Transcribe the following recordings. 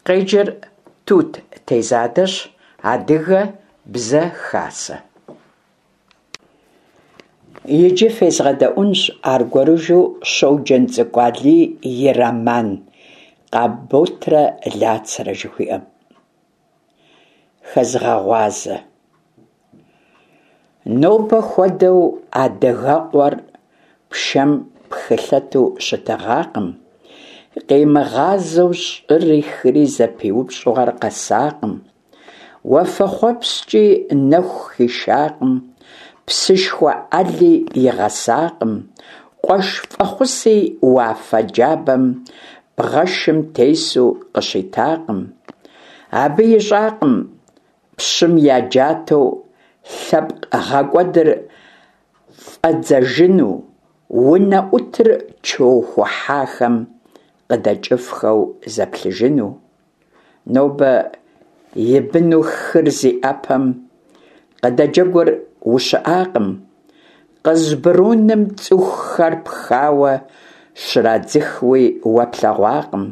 Къеджэр Тут Тезадэщ, Адыгэ бзэ хасэ. Иджы фезгъэдэӏуэнщ аргуэрыжу Щоджэнцӏыкӏу Алий и роман «Къамботрэ Лацэрэ» жыхуиӏэм. Хэзыгъэгъуазэ. Нобэ хуэдэу адыгэкъуэр пшэм пхылъэту щытыгъакъым, къимыгъазэу щӏыри хыри зэпиупщӏу ар къэсакъым, уафэхъуэпскӏи нэху хишакъым, псышхуэ ӏэли игъэсакъым, къуэш фӏэхъуси уафэ джабэм бгъэшым тесу къыщитакъым. Абы ищӏакъым пщым я джатэу лъэпкъ гъэкӏуэдыр фӏэдзэжыну, унэӏутыр чоухыхьахэм къыдэкӏыфхэу зэплъыжыну. Нобэ и быну хыр зи ӏэпэм къыдэджэгур ущыӏакъым, Къызбруным цӏыхухэр пхауэ щрадзыхыуи уэ плъэгъуакъым.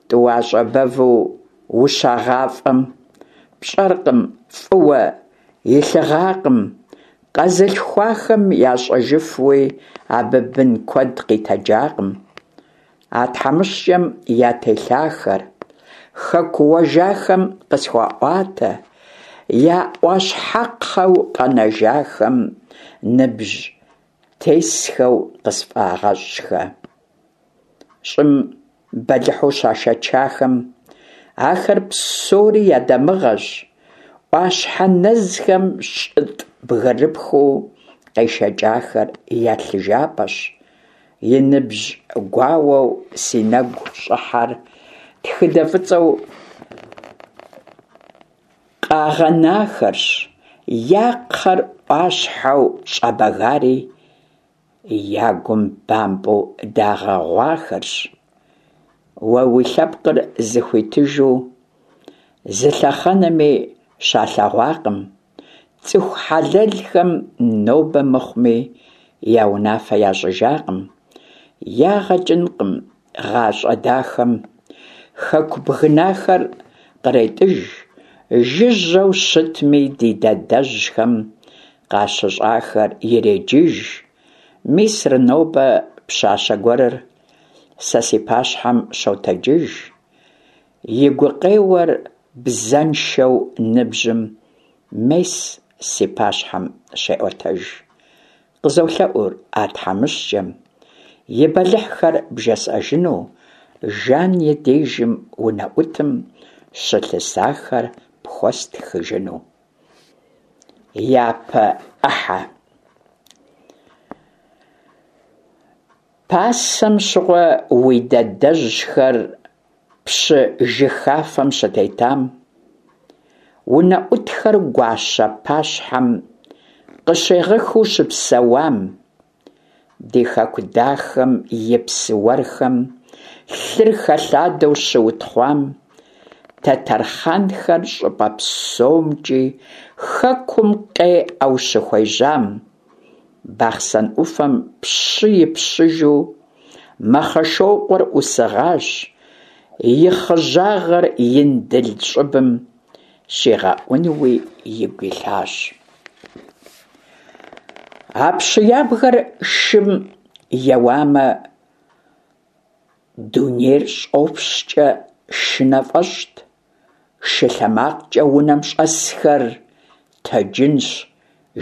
Тӏуащӏэ бэву ущагъафӏэм, пщӏэркъым, фӏыуэ илъыгъакъым, къэзылъхуахэм ящӏэжыфуи абы бын куэд къитэджакъым. А тхьэмыщкӏэм ятелъахэр хэку уэжахэм къысхуаӏуатэ, я ӏуащхьэкхъэу къэнэжахэм ныбжь тесхэу къысфӏагъэщӏхэ. Щӏым бэлыхьу щашэчахэм ахэр псори я дамыгъэщ, ӏуащхьэ нэзхэм щӏытӏ бгырыпхыу къешэкӏахэр я лъыжапӏэщ. И ныбжь гуауэу си нэгу щӏыхьэр тхыдэ фӏыцӏэу къагъэнахэрщ, я кхъэр ӏуащхьэу щӏэбэгари я гум бампӏэу дагъэгъуахэрщ. Уэ уи лъэпкъыр зыхуитыжу зы лъэхъэнэми щалъэгъуакъым, цӏыху хьэлэлхэм нобэ мыхъуми я унафэ ящӏыжакъым, ягъэ кӏынкъым гъащӏэ дахэм. Хэку бгынахэр къретӏыж, жыжьэу щытми ди дадэжьхэм къащыщӏахэр иреджыж. Мисыр нобэ пщащэ гуэрыр сэ си пащхьэм щотэджыж, и гукъеуэр бзэншэу ныбжьым мес си пащхьэм щеӏуэтэж. Къызолъэӏур а тхьэмыщкӏэм и бэлыхьхэр бжесӏэжыну, Жан и дежым унэӏутым щылъысахэр пхуэстхыжыну. Япэ ӏыхьэ. Пасэм щыгъуэ уи дадэжьхэр пщы жыхафэм щытетам, унэӏутхэр гуащэ пащхьэм къыщегъыхыу щыпсэуам, ди хэку дахэм и псы уэрхэм лъыр хэлъадэу щыутхъуам, тэтэрхъанхэр щӏыпӏэ псомкӏи хэкум къеӏэу щыхуежьам, Бахъсэн ӏуфэм пщы и пщыжу Мэхъэшокъуэр ӏусыгъащ, и хъыжьагъэр Индыл щӏыбым щигъэӏунуи игу илъащ. А пщы ябгэр шым еуамэ, дунейр щӏопщкӏэ шынэ фӏэщӏт, шы лъэмакъкӏэ унэм щӏэсхэр тэджынщ,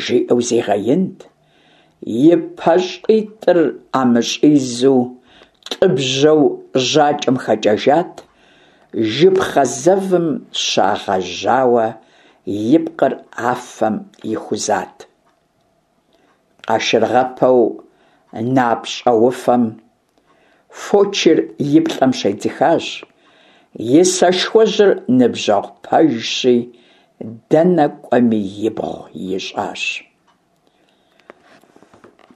жиӏэу зигъэинт. И пащӏитӏыр ӏэмыщӏизу тӏыбжьэу жьакӏэм хэкӏэжат, жыпхъэ зэвым щагъэжьауэ и пкъыр афэм ихузат. Къашыргъэпэу напщӏэуфэм фочыр и плӏэм щедзыхащ, и сэшхуэжьыр ныбжьэгъу пэжщи, дэнэ кӏуэми ибгъу ищӏащ.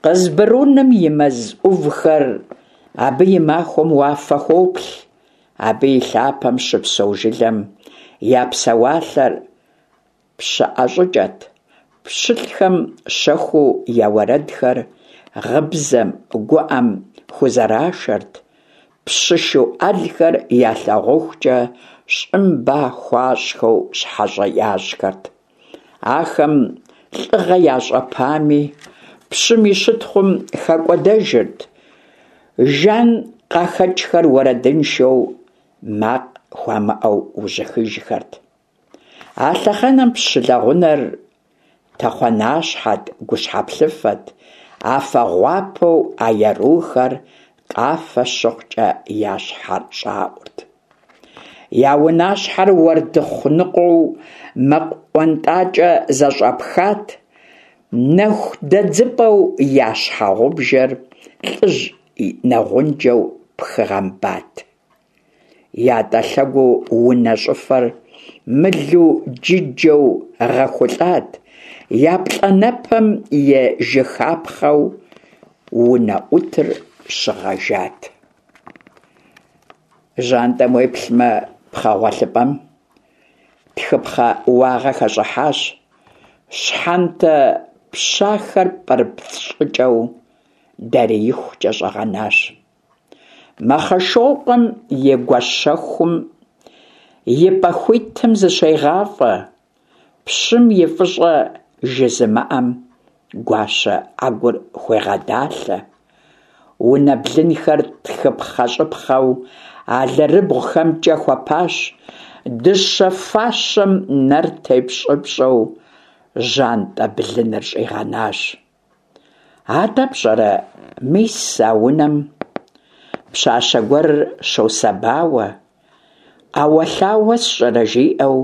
Къызбруным и мэз ӏувхэр абы и махуэм уафэ хуоплъ, абы и лъапэм щыпсэу жылэм я псэуалъэр пщыӏэ щӏыкӏэт, пщылӏхэм щэхуу я уэрэдхэр гъыбзэм, гуӏэм хузэрашэрт. Пщы шу ӏэлхэр ялъагъухукӏэ щӏым ба хуащӏхэу щхьэщэ ящӏхэрт. Ахэм лӏыгъэ ящӏэпами, пщым и щытхъум хэкӏуэдэжырт. Жан къахэкӏхэр уэрэдыншэу, макъ хуамыӏэу ужьыхыжхэрт. А лъэхъэнэм пщы лэгъунэр тэхъуанащхьэт, гущхьэплъыфэт, афэ гъуапэу а ерухэр къафэ щыхъукӏэ я щхьэр щӏаӏурт. Я унащхьэр уэрдыхъу ныкъуэу мэкъу ӏуэнтӏакӏэ зэщӏэпхат, нэху дэдзыпӏэу я щхьэгъубжэр лӏыжь нэгъунджэу пхыгъэмбат. Ятӏэ лъэгуу унэ щӏыфэр мылу джыджэу гъэхулӏат, я плӏанэпэм и жыхапхъэу унэӏутыр щыгъэжат. Жьантӏэм уеплъмэ, пхъэ гъуэлъыпӏэм тхыпхъэ уагъэ хэщӏыхьащ, щхьэнтэ пщахэр пӏырыпцӏ щӏыкӏэу дариихукӏэ щӏэгъэнащ. Мэхъэшокъуэм и гуащэхум и пӏэ хуитым зыщегъафӏэ, пщым и фӏыщӏэ жызымыӏэм гуащэ ӏэгур хуегъэдалъэ. Унэ блынхэр тхыпхъэщӏыпхъэу алэрыбгъухэмкӏэ хуэпащ, дыщэ фащэм нэр тепщӏыпщӏэу жьантӏэ блыныр щӏигъэнащ. Атӏэ пщӏэрэ, мис а унэм пщащэ гуэр щосэбауэ, ӏэуэлъауэ сщӏырэ жиӏэу,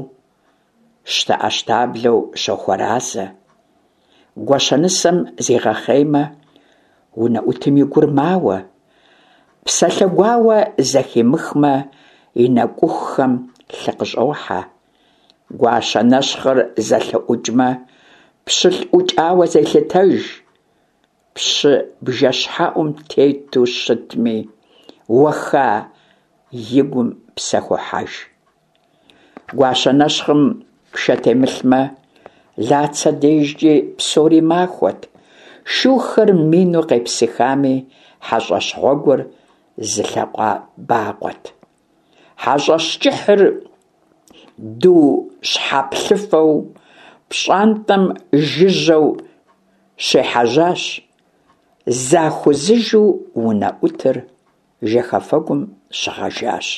щтэӏэщтаблэу щохуэразэ. Гуащэнысэм зигъэхъеймэ, унэӏутым и гур мауэ, псалъэ гуауэ зэхимыхмэ, и нэкӏухухэм лъы къыщӏохьэ. Гуащэ нэщхъыр зэлъыӏукӏмэ, пщылӏ ӏукӏауэ зелъытэж. Пщы бжэщхьэӏум тету щытми, уэха и гум псэ хохьэж. Гуащэ нэщхъым пшэ темылъмэ, Лацэ дежкӏи псори махуэт. Шухэр мину къепсыхами, хьэщӏэщ гъуэгур зы лъакъуэбакъуэт. Хьэщӏэщ кӏыхьыр ду щхьэплъыфэу пщӏантӏэм жыжьэу щехьэжьащ, захузыжу унэӏутыр жэхэфэгум щыгъэжащ.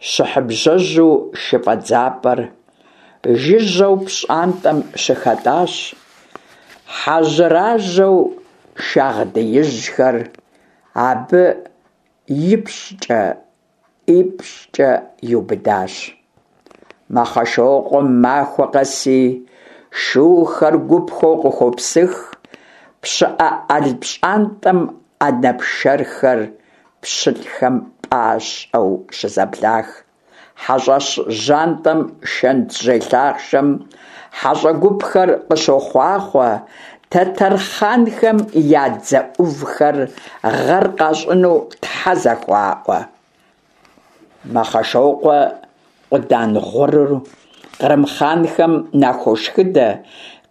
Щыхьыбжьэжьу шыфӏэдзапӏэр жыжьэу пщӏантӏэм щыхэтӏащ, хьэжьэражьэу шагъдиижьхэр абы ипщӏкӏэ, ӏипщӏкӏэ иубыдащ. Мэхъэшокъуэм махуэ къэси шухэр гупхэу къыхуопсых, пщыӏэ ӏэл пщӏантӏэм ӏэнэ пшэрхэр пщылӏхэм пӏащӏэу щызэблах. Хьэщӏэщ жьантӏэм шэнтжьей лъахъшэм хьэщӏэ гупхэр къыщохъуахъуэ, тэтэр хъанхэм я дзэ ӏувхэр гъэр къащӏыну тхьэ зэхуаӏуэ. Мэхъэшокъуэ къудан гъурыр кърым хъанхэм нахуошхыдэ,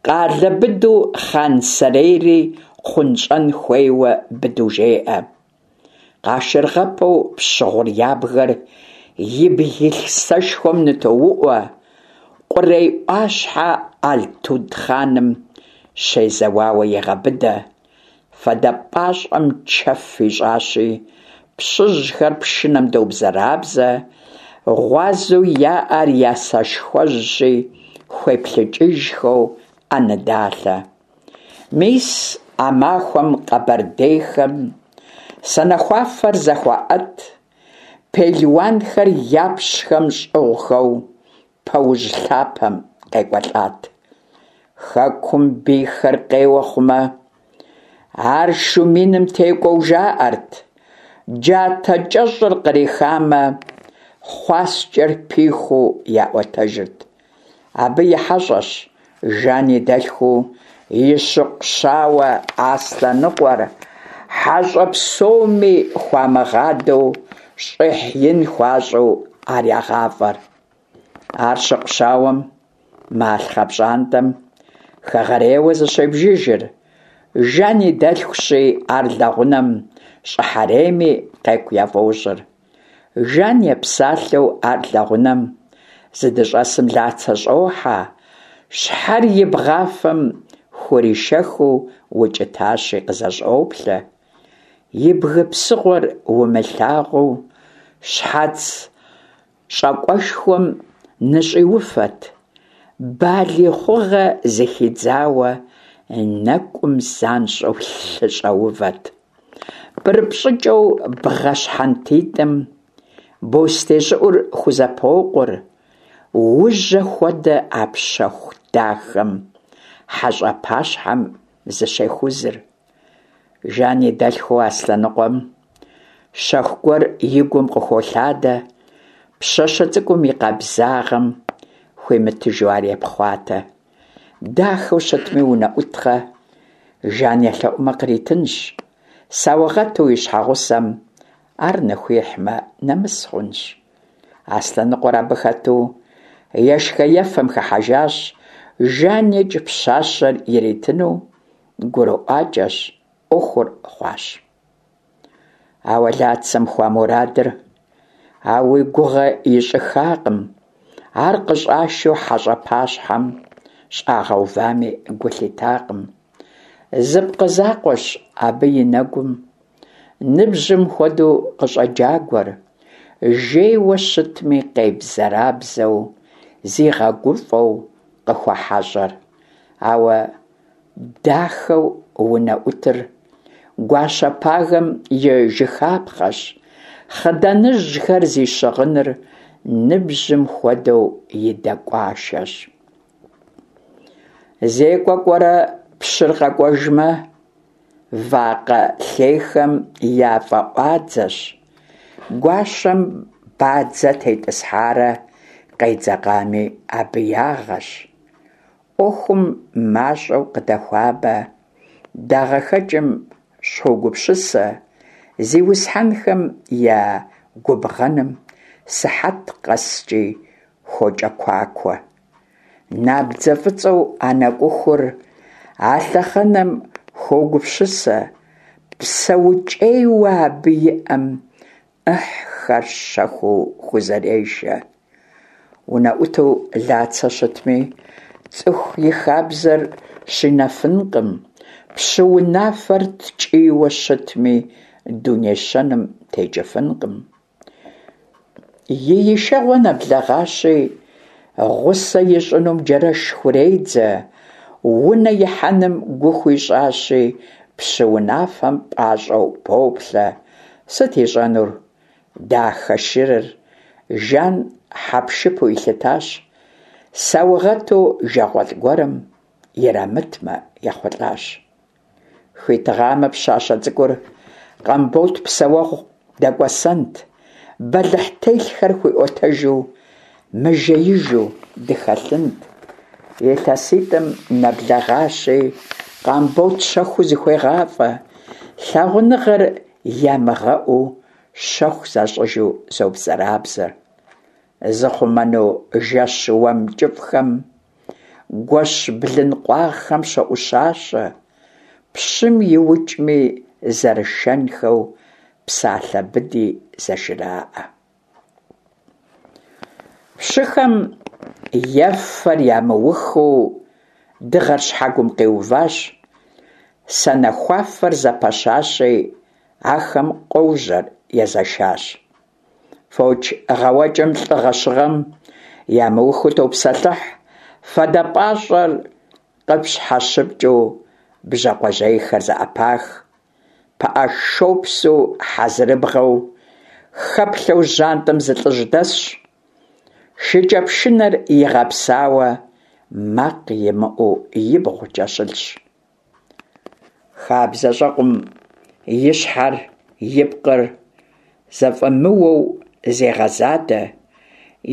къалэ быдэу хъан сэрейри хъунщӏэн хуейуэ быдэу жеӏэ. Къашыргъэпэу пщы гъур ябгэр ибг илъ сэшхуэм нытоуӏуэ, Къурей ӏуащхьэ Алътуд хъаным щезэуауэ егъэбыдэ. Фадэ пӏащӏэм чэф ищӏащи, пщыжьхэр пшынэм добзэрабзэ, гъуазэу яӏэр я сэшхуэжьщи, хуеплъыкӏыжхэу ӏэнэ далъэ. Мис а махуэм къэбэрдейхэм санэхуафэр зэхуаӏэт, пелуанхэр япщхэм щӏыгъухэу Пэужь лъапэм къекӏуэлӏат. Хэкум бийхэр къеуэ хъумэ, ар шу миным текӏуэу жаӏэрт. Джатэ кӏэщӏыр кърихамэ, хъуаскӏэр пихуу яӏуэтэжырт. Абы и хьэщӏэщ Жан и дэлъхуу и щыкъу щауэ Аслъэныкъуэр, хьэщӏэ псоми хуамыгъадэу, щӏыхь ин хуащӏу ар ягъафӏэр. Ар щыкъу щауэм малъхъэ пщӏантӏэм хэгъэрейуэ зыщебжыжыр, Жан и дэлъхущи, ар лэгъунэм щӏыхьэрейми. къекӏу яфӏощӏыр. Жан епсалъэу ар лэгъунэм зыдыщӏэсым Лацэ щӏохьэ, щхьэр и бгъафэм хуришэхыу укӏытащи къызэщӏоплъэ. И бгы псыгъуэр умылъагъуу щхьэц щӏакӏуэшхуэм ныщӏиуфэт, балигъ хъугъэ зыхидзауэ нэкӏум занщӏэу лъы щӏэувэт. Пӏырыпӏ щӏыкӏэу бгъэ щхьэнтитӏым бостей щӏыӏур хузэпокъур, ужьэ хуэдэ а пщэху дахэм хьэщӏэ пащхьэм зыщехузыр. Жан и дэлъхуу Аслъэныкъуэм щэху гуэр и гум къыхуолъадэ, пщащэ цӏыкӏум и къабзагъэм хуимытыжу ар епхъуатэ. Дахэу щытми унэӏуткъэ, Жан елъэӏумэ къритынщ, саугъэту и щхьэгъусэм ар ныхуихьмэ, нэмыс хъунщ. Аслъэныкъуэр абы хэту ешхэ-ефэм хыхьэжащ, Жаникӏ пщащэр иритыну гурыӏуакӏэщ, ӏуэхур хъуащ. Ауэ Лацэм хуамурадыр ауи гугъэ ищӏыхакъым, ар къыщӏашэу хьэщӏэ пащхьэм щӏагъэувами гу лъитакъым. Зы пкъы закъуэщ абы и нэгум ныбжьым хуэдэу къыщӏэджагуэр, жейуэ щытми къебзэрабзэу, зигъэгуфӏэу къыхуэхьэщӏэр. Ауэ дахэу унэӏутыр гуащэ пагэм и жыхапхъэщ, хъыданыжьхэр зи щыгъыныр ныбжьым хуэдэу и дэкӏуашэщ. Зекӏуэ кӏуэрэ пщыр къэкӏуэжмэ, вакъэ лъейхэм я фӏэӏуадзэщ, гуащэм бадзэ тетӏысхьарэ къедзэкъами абы ягъэщ. ӏуэхум мащӏэу къыдэхуабэ, дагъэхэкӏым щогупсысэ, зиусхьэнхэм я губгъэным сыхьэт къэскӏи хуокӏэкуакуэ. Набдзэ фӏыцӏэу а нэкӏухур а лъэхъэнэм хуогупсысэ, псэукӏейуэ абы иӏэм ӏыхьхэр щэхуу хузэрешэ. Унэӏуту Лацэ щытми, цӏыху и хабзэр щинэфынкъым, пщы унафэр ткӏийуэ щытми, дуней щэным текӏыфынкъым. И ишэгъуэ нэблэгъащи, гъусэ ищӏынум Джэрэш хуредзэ, унэ ихьэным гу хуищӏащи, пщы унафэм пӏащӏэу поплъэ. Сыт ищӏэнур? Дахэ шырыр Жан хьэпшыпу илъытащ, саугъэту жагъуэлӏ гуэрым ирамытмэ ехъулӏащ. Хуитыгъамэ пщащэ цӏыкӏур Къамбот псэуэгъу дэкӏуэсэнт, бэлыхь телъхэр хуиӏуэтэжу, мыжеижу дыхэлъынт. Илъэситӏым нэблэгъащи, Къамбот щэхуу зыхуегъафӏэ, лъагъуныгъэр ямыгъэӏуу щэху защӏыжу зобзэрабзэ. Зыхъумэну жэщ уэм кӏыфӏхэм гуэщ блын къуагъхэм щоӏущащэ, пщым иукӏми зэрышэнхэу псалъэ быди зэжраӏэ. Пщыхэм ефэр ямыухыу дыгъэр щхьэгум къиуващ, санэхуафэр зэпэщащи, ахэм къожьэр езэшащ. Фоч гъэуэкӏэм лӏы гъэщыгъэм ямыухыу топсэлъыхь, фадэ пӏащӏэр къыпщхьэщыпкӏыу бжьакъуэжьейхэр зэӏэпах. Пыӏэ шопсу хьэзырыбгъэу хэплъэу жьантӏэм зы лӏыжь дэсщ. Шыкӏэпшынэр игъэпсауэ макъ имыӏэу ибгъукӏэ щылъщ. Хабзэщӏэкъум и щхьэр, и пкъыр зэфӏэмыуэу зегъэзадэ,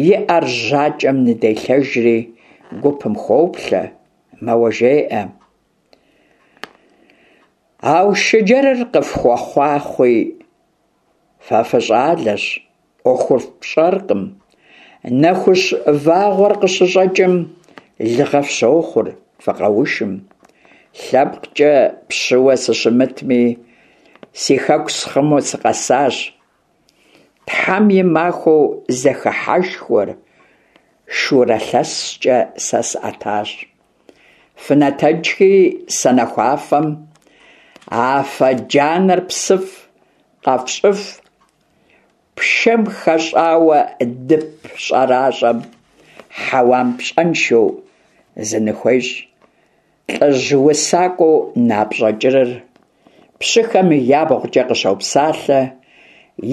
и ӏэр жьакӏэм ныделъэжри гупым хоплъэ, мэуэ жеӏэ. Аушыджэрыр къыфхуэхъуахъуи, фэ фыщӏалэщ, ӏуэхур фщӏэркъым. Нэхущ вагъуэр къыщыщӏэкӏым, лыгъэ фщохъур, фыкъэушым. Лъэпкъкӏэ пщыуэ сыщымытми, си хэку схъумэу сыкъэсащ. Тхьэм и махуэу зэхыхьэшхуэр шурэ лъэскӏэ сэ сӏэтащ. Фынэтэджхи санэхуафэм афэ джанэр псыф къэфщӏыф, пшэм хэщӏауэ дып щӏэращӏэм хьэуам пщӏэншэу зыныхуещӏ. Лӏыжь усакӏуэу напщӏэ кӏырыр пщыхэм ябгъукӏэ къыщопсалъэ,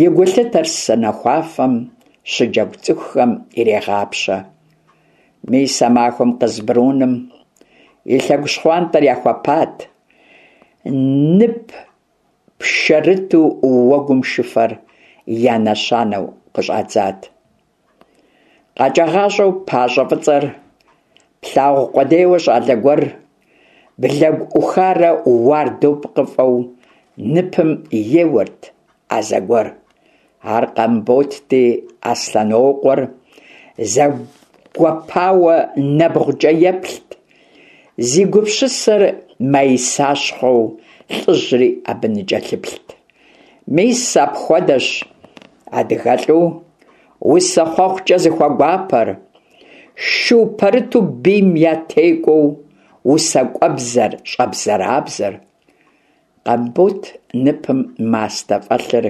и гулъытэр санэхуафэм щыджэгу цӏыхухэм ирегъапщэ. Мис а махуэм Къызбруным и лъэгу щхъуантӏэр яхуэпат, нып пшэрыту уэгум шыфэр я нэщанэу къыщӏадзат. Къэкӏагъащӏэу пащӏэ фӏыцӏэр плъагъу къудейуэ щӏалэ гуэр блэгу ӏухарэ уардэу пкъыфӏэу ныпым еуэрт а зэгуэр. Ар Къамботти, Аслъэнокъуэр зэгуэпауэ нэбгъукӏэ еплът, зи гупсысэр маисащхъуэу лӏыжьри абы ныкӏэлъыплът. Мис апхуэдэщ адыгэлӏу усэ хъуэхъукӏэ зыхуэгуапэр, шу пэрыту бийм ятекӏуэу усакӏуэбзэр щӏэбзэрабзэр. Къамбот ныпым мастэ фӏэлъыр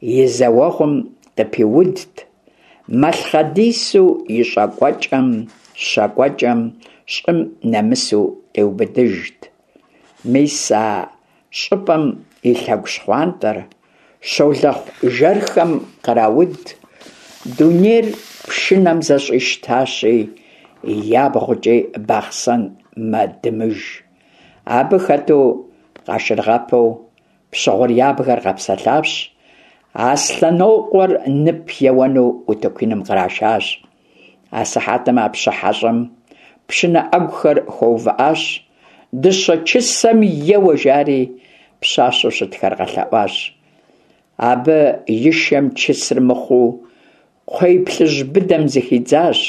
и зэуэгъум къыпиудт, малъхъэдису и щӏэкӏуэкӏэм, щэкӏуэкӏэм щӏым нэмысу къиубыдыжт. Мис а щӏыпӏэм и лъэгу щхъуантӏэр щолэхъу жэрхэм кърауд, дунейр пшынэм зэщӏищтащи, ябгъукӏи Бахъсэн мэдымыж. Абы хэту къашыргъэпэу Пщыгъур ябгэр къэпсэлъащ, Аслъэнокъуэр нып еуэну утыку иным кърашащ. Асыхьэтым а пщы хьэщӏэм пшынэ ӏэгухэр хуэувыӏащ, дыщэ чысэм еуэ жари, пщащэу щытхэр къэлъэӏуащ. Абы и шэм чысыр мыхъуу, кхъуей плъыжь быдэм зыхидзащ.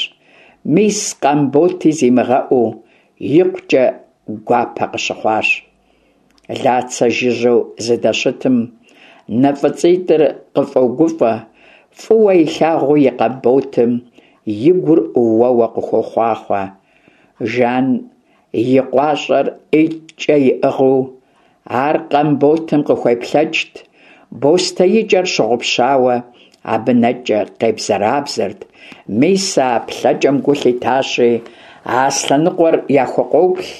Мис Къамботи зимыгъэӏуу, икъукӏэ гуапэ къыщыхъуащ. Лацэ жыжьэу зыдэщытым нэ фӏыцӏитӏыр къыфӏогуфӏэ, фӏыуэ илъагъуу и Къамботым и гур уэуэ къыхуохъуахъуэ. Жан и къуащӏэр ӏитӏкӏэ иӏыгъыу ар Къамботым къыхуеплъэкӏт, бостеикӏэр щыгъупщауэ абы нэкӏэ къебзэрабзэрт. Мис а плъэкӏэм гу лъитащи, Аслъэныкъуэр яхукъуоплъ,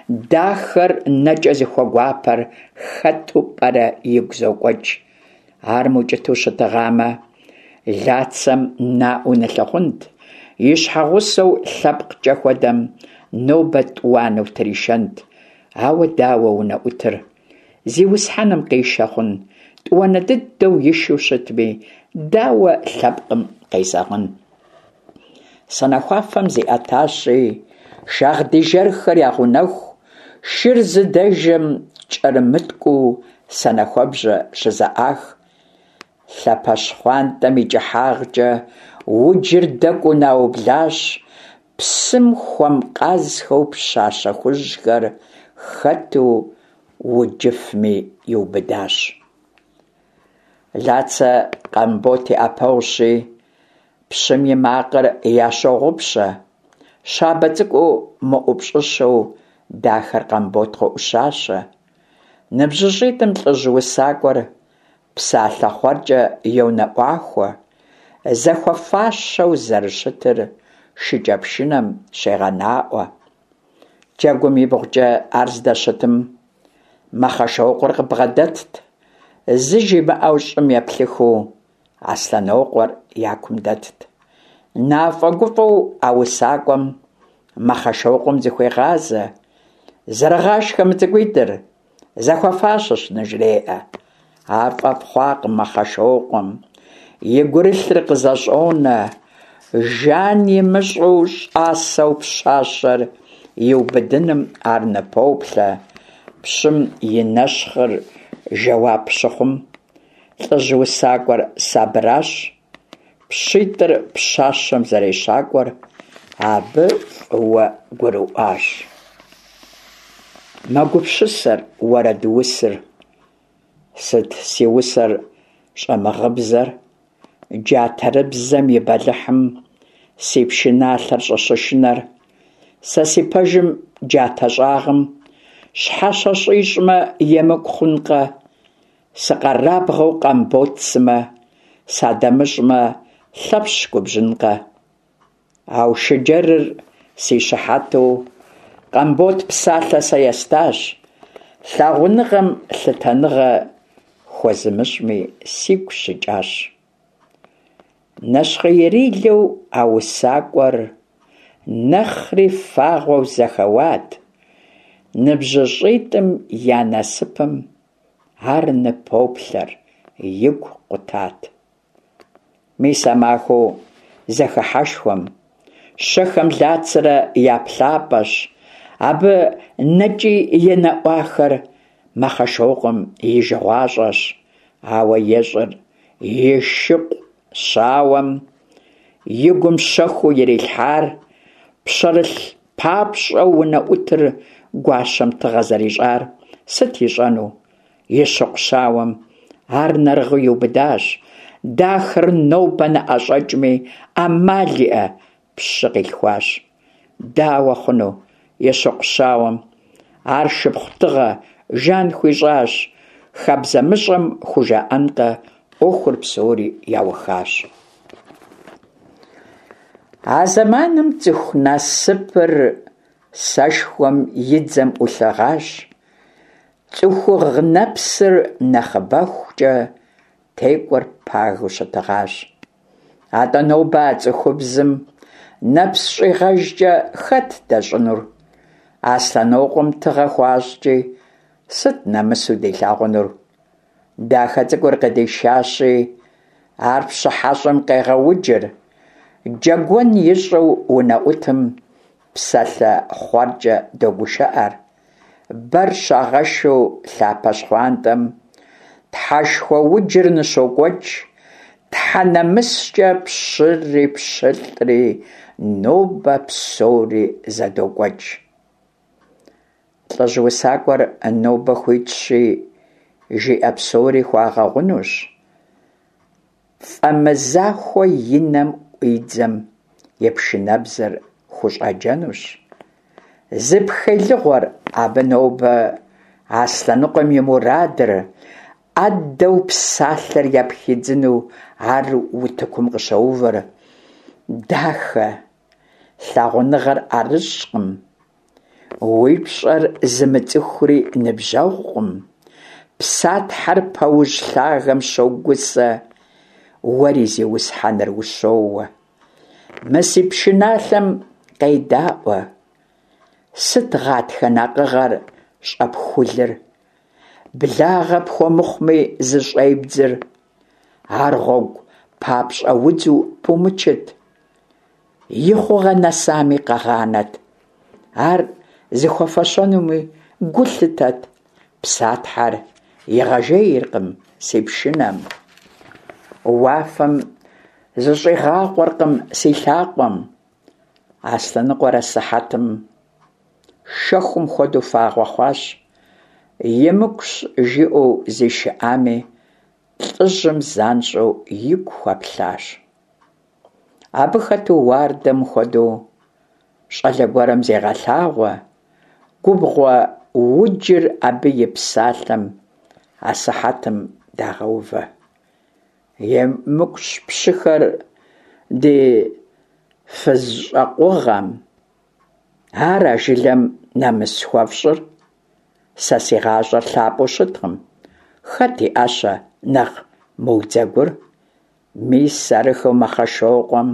дахэр нэкӏэ зыхуэгуапэр хэту пӏэрэ игу зокӏуэкӏ. Ар мыукӏытэу щытыгъамэ, Лацэм наӏуэу нылъыхъунт, и щхьэгъусэу лъэпкъкӏэ хуэдэм нобэ тӏуанэу тришэнт. Ауэ дауэ унэӏутыр? Зиусхьэным къишэ хъун, тӏуанэ дыдэу ишэу щытми, дауэ лъэпкъым къезэгъын? Санэхуафэм зиӏэтащи, шагъдий жэрхэр ягъунэху, шыр зыдэжэм кӏэрымыткӏуу санэхуэбжьэ щызэӏах. Лъапэ щхъуантӏэм и кӏыхьагъкӏэ уджыр дэкӏуу наублащ, псым хуэмкъазхэу пщащэ хужьхэр хэту уджыфми иубыдащ. Лацэ Къамбот и ӏэпэгъущи, пщым и макъыр ящогъупщэ. Щабэ цӏыкӏуу мыӏупщӏыщэу дахэр Къамбот къоӏущащэ. Ныбжьыщӏитӏым лӏыжь усакӏуэр псалъэ хъуэркӏэ йонэӏуахуэ, зэхуэфащэу зэрыщытыр шыкӏэпшынэм щегъэнаӏуэ. Джэгум ибгъукӏэ ар здэщытым Мэхъэшокъуэр къыбгъэдэтт, зы жимыӏэу щӏым еплъыхыу Аслъэнокъуэр я кум дэтт. Нафӏэгуфӏэу а усакӏуэм Мэхъэшокъуэм зыхуегъазэ, Зэрыгъашхэ мы цӏыкӏуитӏыр, зэхуэфащэщ, ныжреӏэ. Ар фӏэфӏ хъуакъым Мэхъэшокъуэм, и гурылъыр къызэщӏонэ, жан имыщӏу щӏасэу пщащэр иубыдыным ар ныпоплъэ. Пщым и нэщхъыр жэуап щыхъум, лӏыжь усакӏуэр сабыращ, пщитӏыр пщащэм зэрещакӏуэр абы фӏыуэ гурыӏуащ. Мэгупсысэр уэрэдусыр. Сыт си усэр щӏэмыгъыбзэр? Джатэрыбзэм и бэлыхьым си пшыналъэр щӏыщышынэр, Сэ си пэжым джатэ щӏагъым щхьэщэ щӏищӏмэ, емыкӏу хъункъэ? Сыкъэрабгъэу Къамбот сымэ, садэмыщӏмэ, Лъэпщ губжьынкъэ? Аушыджэрыр си щыхьэту Къамбот псалъэ сэ естащ, Лъагъуныгъэм лъытэныгъэ хуэзымыщӏми сигу щыкӏащ. Нэщхъеирилэу а усакӏуэр нэхъри фагъуэу зэхэуат, Ныбжьыщӏитӏым я насыпым ар ныпоплъэр, игу къутат. Мис а махуэу зэхыхьэшхуэм, щэхэм Лацэрэ я плъапӏэщ, абы нэкӏи енэӏуахэр Мэхъэшокъуэм и жыгъуащӏэщ, ауэ ещӏыр и шыкъу щауэм и гум щэхуу ирилъхьар, пщэрылъ папщӏэу унэӏутыр гуащэм тыгъэ зэрищӏар сыт ищӏэну? И щыкъу щауэм ар нэрыгъыу иубыдащ, дахэр нобэ ныӏэщӏэкӏми, ӏэмал иӏэ, пщы къилъхуащ. Дауэ хъуну и щыкъу щауэм? Ар шыпхъу тыгъэ Жан хуищӏащ, хабзэмыщӏэм хужаӏэнкъэ, ӏуэхур псори яухащ. А зэманым цӏыху насыпыр сэшхуэм и дзэм ӏулъыгъащ, цӏыхугъ нэпсыр нэхъыбэхукӏэ текӏуэр пагэу щытыгъащ. Атӏэ нобэ а цӏыхубзым нэпс щӏигъэжкӏэ хэт дэщӏынур? Аслъэнокъуэм тыгъэ хуащӏкӏи, сыт нэмысу дилъагъунур? Дахэ цӏыкӏур къыдишащи, ар пщыхьэщӏэм къегъэуджыр, джэгуэн ищӏэу унэӏутым псалъэ хъуэркӏэ догушыӏэр, бэр щагъэшу лъапэ щхъуантӏэм, Тхьэшхуэ уджыр ныщокӏуэкӏ, Тхьэ нэмыскӏэ пщыри пщылӏри нобэ псори зэдокӏуэкӏ. Лӏыжь усакӏуэр нобэ хуитщи, жиӏэ псори хуагъэгъунущ. Фӏэмызахуэ и нэм ӏуидзэм и пшынэбзэр хущӏаджэнущ. Зыпхелыгъуэр абы нобэ Аслъэныкъуэм и мурадыр, ӏэдэу псалъэр япхидзыну ар утыкум къыщоувыр. Дахэ, лъагъуныгъэр ӏэрыщӏкъым. Уи пщӏэр зымыцӏыхури ныбжьэгъукъым. Псатхьэр пэужь лъагэм щогусэ, уэри зиусхьэныр ущоуэ. Мы си пшыналъэм къедаӏуэ. Сыт гъатхэ накъыгъэр щӏэпхулыр? Благъэ пхуэмыхъуми зыщӏебдзыр? Ар гъуэгу папщӏэ удзу пумычыт. И хъугъэ нэсами къэгъанэт. Ар зыхуэфэщэнуми гу лъытэт. Псатхьэр игъэжейркъым си пшынэм. Уафэм зыщӏигъакъуэркъым си лъакъуэм. Аслъэныкъуэр асыхьэтым шэхум хуэдэу фагъуэ хъуащ. Емыкӏущ жиӏэу зишыӏами, лӏыжьым занщӏэу игу хуэплъащ. Абы хэту уардэм хуэдэу щӏалэ гуэрым зегъэлъагъуэ, губгъуэ уджыр абы и псалъэм асыхьэтым дагъэувэ. Емыкӏущ пщыхэр ди фызщӏэкъугъэм, ара жылэм нэмыс хуэфщӏыр? Сэ си гъащӏэр лъапӏэу щыткъым, хэт и ӏэщэ нэхъ мыудзэгур? Мис арыххэу Мэхъэшокъуэм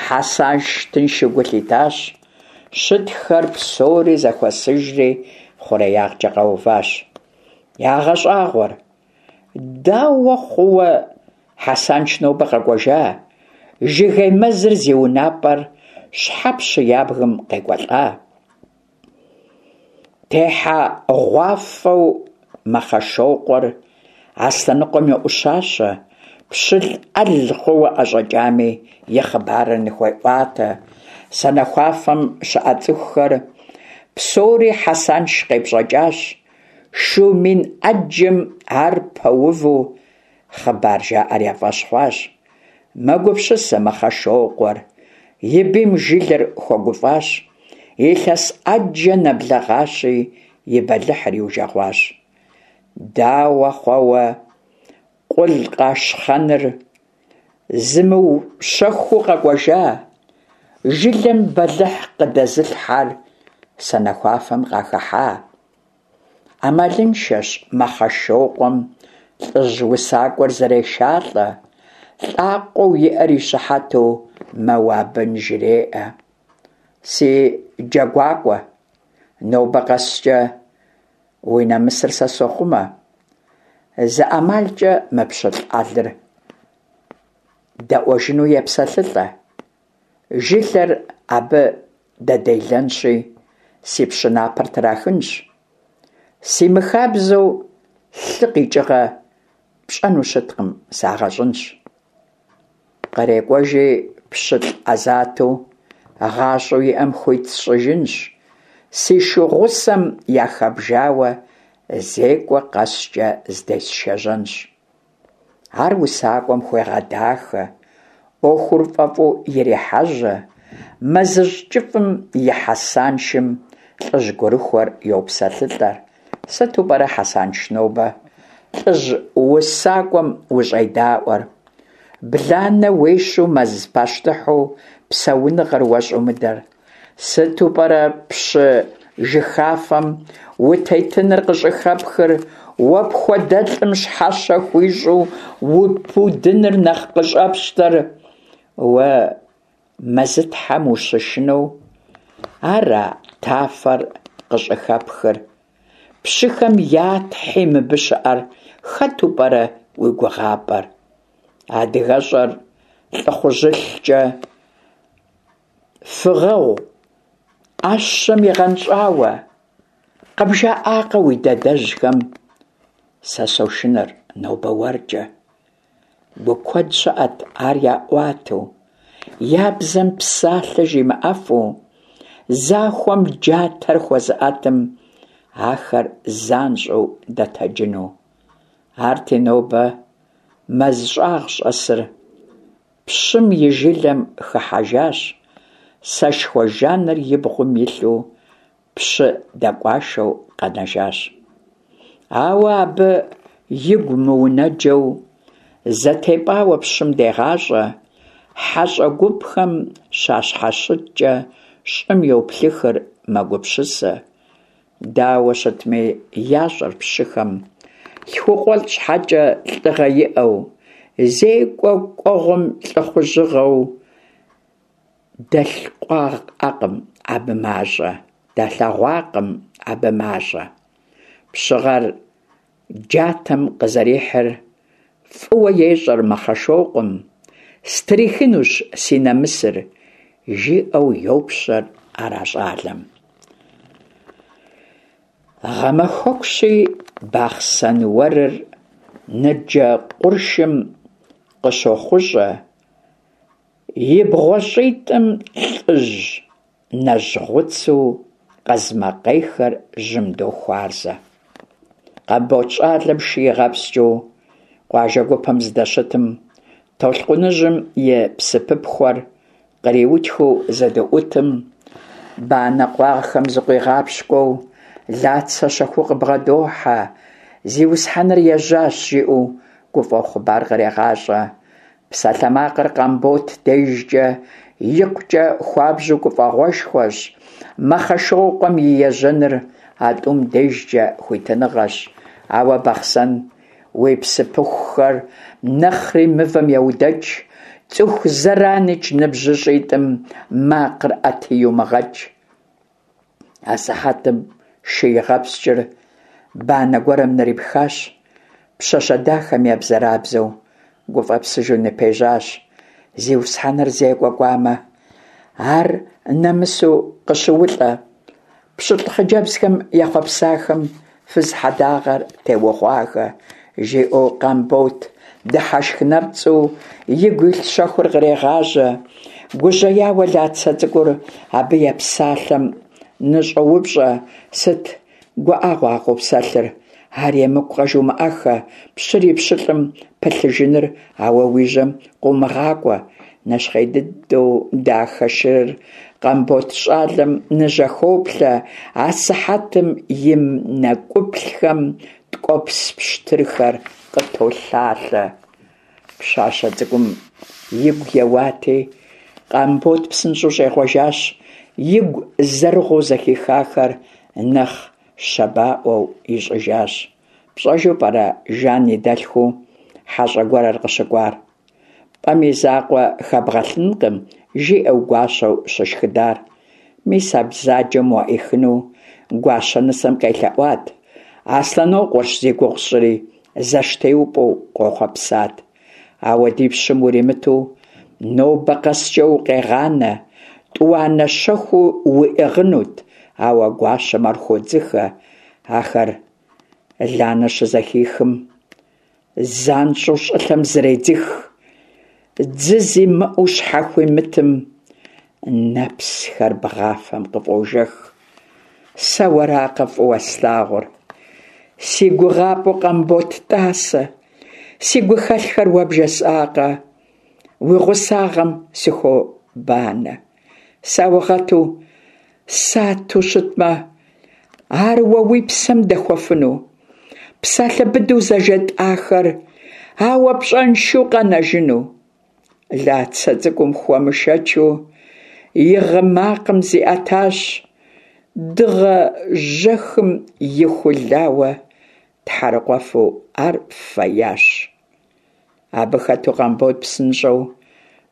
Хьэсанш тыншу гу лъитащ, щытхэр псори зэхуэсыжри хъуреягъкӏэ къэуващ. Ягъэщӏагъуэр, дауэ хъууэ Хьэсанш нобэ къэкӏуэжа, жыгей мэзыр зи унапӏэр щхьэ пщы ябгэм къекӏуэлӏа? Техьэгъуафӏэу Мэхъэшокъуэр Аслъэныкъуэм йоӏущащэ, пщылӏ ӏэл хъууэ ӏэщӏэкӏами и хъыбарыр ныхуеӏуатэ. Санэхуафэм щыӏэ цӏыхухэр псори Хьэсанш къепщӏэкӏащ, шу мин ӏэджэм ар пэуву хъыбар жаӏэр я фӏэщ хъуащ. Мэгупсысэ Мэхъэшокъуэр, и бийм жылэр хуэгуфӏащ, илъэс ӏэджэ нэблэгъащи, и бэлыхьыр иужэгъуащ. Дауэ хъуауэ Къулъкъашхъэныр зымыущэхуу къэкӏуэжа, жылэм бэлыхь къыдэзылъхьэр санэхуафэм къахыхьа? Ӏэмалыншэщ Мэхъэшокъуэм лӏыжь усакӏуэр зэрешалӏэ, лӏакъуэу иӏэр и щыхьэту мэуэ абы ныжреӏэ. Си джэгуакӏуэ, нобэ къэскӏэ уи нэмысыр сэ сохъумэ. Зы ӏэмалкӏэ мы пщылӏ ӏэлыр дэӏуэжыну епсэлъылӏэ. Жылэр абы дэделэнщи, си пщы напэр трахынщ. Си мыхабзэу лъы къикӏыгъэ пщӏэну щыткъым, сагъэщӏынщ. Кърекӏуэжи пщылӏ ӏэзату гъащӏэу иӏэм хуит сщӏыжынщ, си шу гъусэм яхэбжауэ зекӏуэ къэскӏэ здесшэжьэнщ. Ар усакӏуэм хуегъэдахэ, ӏуэхур фӏэфӏу ирехьэжьэ, мэзыжь кӏыфӏым и Хьэсаншым лӏыжь гурыхуэр йопсэлъылӏэр. Сыту пӏэрэ, Хьэсанш, нобэ лӏыжь усакӏуэм ущӏедаӏуэр? Бланэ уещу мэз пащтыхьу псэуныгъэр уэ щӏумыдэр? Сыту пӏэрэ пщы жыхафэм утетыныр къыщӏыхэпхыр, уэ пхуэдэлӏым щхьэщэ хуищӏу упудыныр нэхъ къыщӏэпщтэр? Уэ мэзытхьэм ущышынэу ара тафэр къыщӏыхэпхыр? Пщыхэм я тхьи мыбы щыӏэр хэту пӏэрэ уи гугъапӏэр? Адыгэщӏэр лӏыхъужьылъкӏэ Фыгъэгъу, ӏэщэм игъэнщӏауэ, къыбжаӏакъэ уи дадэжьхэм, сэ сошынэр нобэ уэркӏэ. Гу куэд щыӏэт ар яӏуатэу, я бзэм псалъэ жимыӏэфу, захуэм джатэр хуэзыӏэтым ахэр занщӏэу дэтэджыну. Арти нобэ мэз щӏагъ щӏэсыр Пщым и жылэм хыхьэжащ, сэшхуэ жаныр и бгъум илъу пщы дэкӏуашэу къэнэжащ. Ауэ абы игу мыунэджэу, зэтепӏауэ пщым дегъащӏэ, хьэщӏэ гупхэм щащхьэщыткӏэ щӏым йоплъыхыр, мэгупсысэ. Дауэ щытми, ящӏэр пщыхэм, лъхукъуэлӏ щхьэкӏэ лӏыгъэ иӏэу, зекӏуэ кӏуэгъуэм лӏыхъужьыгъэу дэлъкъуагъэкъым абы мащӏэ, далъэгъуакъым абы мащӏэ. Пщыгъэр джатэм къызэрихьыр фӏыуэ ещӏэр Мэхъэшокъуэм, стрихынущ си нэмысыр, жиӏэу йопщэр ар а щӏалэм. Гъэмахуэкущи, Бахъсэн уэрыр ныджэ къуршым къыщохъущӏэ, и бгъуэщӏитӏым лӏыжь нэжьгъуцу къазмакъейхэр жьым дохуарзэ. Къамбот щӏалэм шы игъэпскӏыу къуажэ гупэм здэщытым, толъкъуныжьым и псыпыпхуэр къриутхыу зэдыӏутым, банэ къуагъхэм зыкъуигъапщкӏуэу Лацэ щэхуу къыбгъэдохьэ, зиусхьэныр ежьащ, жиӏэу гуфӏэу хъыбар кърегъащӏэ. Псалъэмакъыр Къамбот дежкӏэ икъукӏэ хуабжьу гуфӏэгъуэшхуэщ, Мэхъэшокъуэм и ежьэныр а тӏум дежкӏэ хуитыныгъэщ. Ауэ Бахъсэн уи псыпыхухэр нэхъри мывэм еудэкӏ, цӏыху зэраникӏ ныбжьыщӏитӏым макъыр ӏэти иумыгъэкӏ. Асыхьэтым шы игъэпскӏыр банэ гуэрым нрипхащ, пщащэ дахэм ебзэрабзэу гуфӏэпсыжу ныпежьащ. Зиусхьэныр зекӏуэ кӏуамэ, ар нэмысу къыщыулӏэ, пщылӏ хъыджэбзхэм ехъуэпсахэм фыз хьэдагъэр теугъуахэ, жиӏэу Къамбот дыхьэшх нэпцӏу игу илъ щэхур кърегъажьэ. Гужьеяуэ Лацэ цӏыкӏур абы епсалъэм ныщӏоупщӏэ, сыт гуӏэгъуэ а къопсэлъыр? Ар емыкӏукъэ жумыӏэххэ, пщыр и пщылӏым пылъыжыныр ауэ уи жьэм къыумыгъакӏуэ. Нэщхъей дыдэу дахэ шырыр Къамбот щӏалэм ныжьэхоплъэ, асыхьэтым и нэкӏуплъхэм ткӏуэпс пщтырхэр къытолъалъэ. Пщащэ цӏыкӏум игу еуати, Къамбот псынщӏэу щӏегъуэжащ, игу зэрыгъуу зэхихахэр нэхъ щабаӏуэу ищӏыжащ. Пщӏэжу пӏэрэ Жан и дэлъхуу хьэщӏэ гуэрыр къыщыкӏуар? Пӏэм и закъуэ хэбгъэлъынкъым, жиӏэу гуащэу щышхыдар. Мис а бзаджэм уаӏихыну гуащэ нысэм къелъэӏуат. Аслъэнокъуэрщ зи гугъу сщӏыри, зэштеупӏэу къохъуэпсат. Ауэ ди пщым уримыту нобэ къэскӏэ укъегъанэ, тӏуанэ щэхуу уиӏыгъынут, ауэ гуащэм ар хуодзыхэ. Ахэр Ланэ щызэхихым, занщӏэу щӏылъэм зредзых, дзы зимыӏэу щхьэхуимытым нэпсхэр бгъафэм къыфӏожэх. Сэ уэракъэ фӏыуэ слъагъур? Си гугъапӏэу Къамбот тӏасэ, си гухэлъхэр уэ бжесӏакъэ? Уи гъусагъэм сыхуобанэ. Саугъэту сату щытмэ, ар уэ уи псэм дэхуэфыну? Псалъэ быдэу зэжетӏахэр ауэ пщӏэншэу къэнэжыну? Лацэ цӏыкӏум хуэмышэчу и гъы макъым зиӏэтащ, дыгъэ жьэхым ихулауэ тхьэрыкъуэфу ар феящ. Абы хэту Къамбот псынщӏэу